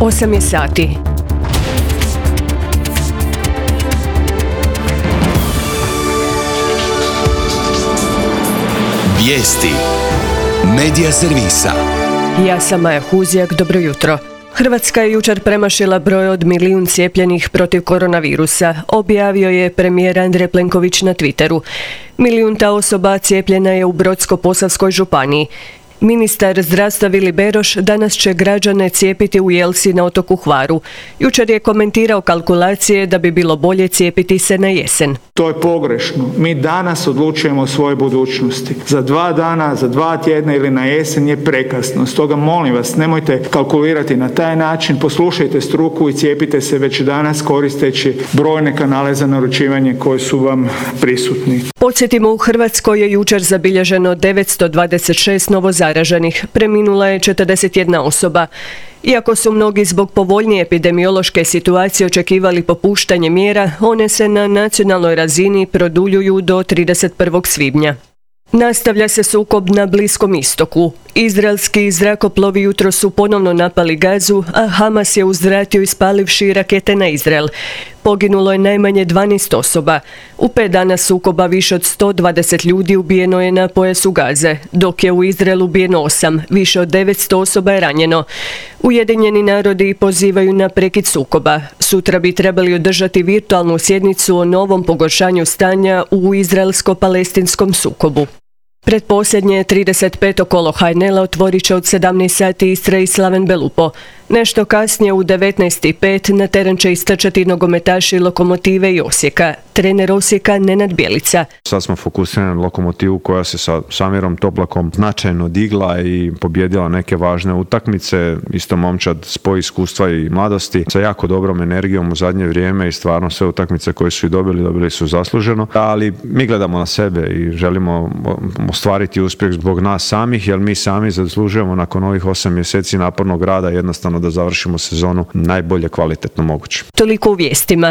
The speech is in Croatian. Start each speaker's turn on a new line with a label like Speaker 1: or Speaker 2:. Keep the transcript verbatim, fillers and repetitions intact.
Speaker 1: osam je sati.
Speaker 2: Vijesti Medija servisa.
Speaker 1: Ja sam Maja Huzjak, dobro jutro. Hrvatska je jučer premašila broj od milijun cijepljenih protiv koronavirusa, objavio je premijer Andrej Plenković na Twitteru. Milijunta osoba cijepljena je u Brodsko-posavskoj županiji. Ministar zdravstva Vili Beroš danas će građane cijepiti u Jelsi na otoku Hvaru. Jučer je komentirao kalkulacije da bi bilo bolje cijepiti se na jesen.
Speaker 3: To je pogrešno. Mi danas odlučujemo o svojoj budućnosti. Za dva dana, za dva tjedna ili na jesen je prekasno. Stoga molim vas, nemojte kalkulirati na taj način, poslušajte struku i cijepite se već danas koristeći brojne kanale za naručivanje koji su vam prisutni.
Speaker 1: Podsjetimo, u Hrvatskoj je jučer zabilježeno devetsto dvadeset šest novozaraženih, preminula je četrdeset jedna osoba. Iako su mnogi zbog povoljnije epidemiološke situacije očekivali popuštanje mjera, one se na nacionalnoj razini produljuju do trideset prvog svibnja. Nastavlja se sukob na Bliskom istoku. Izraelski zrakoplovi jutro su ponovno napali Gazu, a Hamas je uzvratio ispalivši rakete na Izrael. Poginulo je najmanje dvanaest osoba. U pet dana sukoba više od sto dvadeset ljudi ubijeno je na pojasu Gaze, dok je u Izraelu ubijeno osam, više od devetsto osoba je ranjeno. Ujedinjeni narodi pozivaju na prekid sukoba. Sutra bi trebali održati virtualnu sjednicu o novom pogoršanju stanja u izraelsko-palestinskom sukobu. Pretposljednje trideset peto kolo Hajnela otvorit će od sedamnaest sati Istra i Slaven Belupo. Nešto kasnije u devetnaest i pet na teren će istrčati nogometaši Lokomotive i Osijeka. Trener Osijeka Nenad Bjelica.
Speaker 4: Sad smo fokusirani na Lokomotivu koja se sa Samirom Toplakom značajno digla i pobjedila neke važne utakmice. Isto momčad spoj iskustva i mladosti sa jako dobrom energijom u zadnje vrijeme i stvarno sve utakmice koje su i dobili, dobili su zasluženo. Ali mi gledamo na sebe i želimo ostvariti uspjeh zbog nas samih, jer mi sami zaslužujemo nakon ovih osam mjeseci napornog rada jednostavno da završimo sezonu najbolje kvalitetno moguće.
Speaker 1: Toliko u vijestima.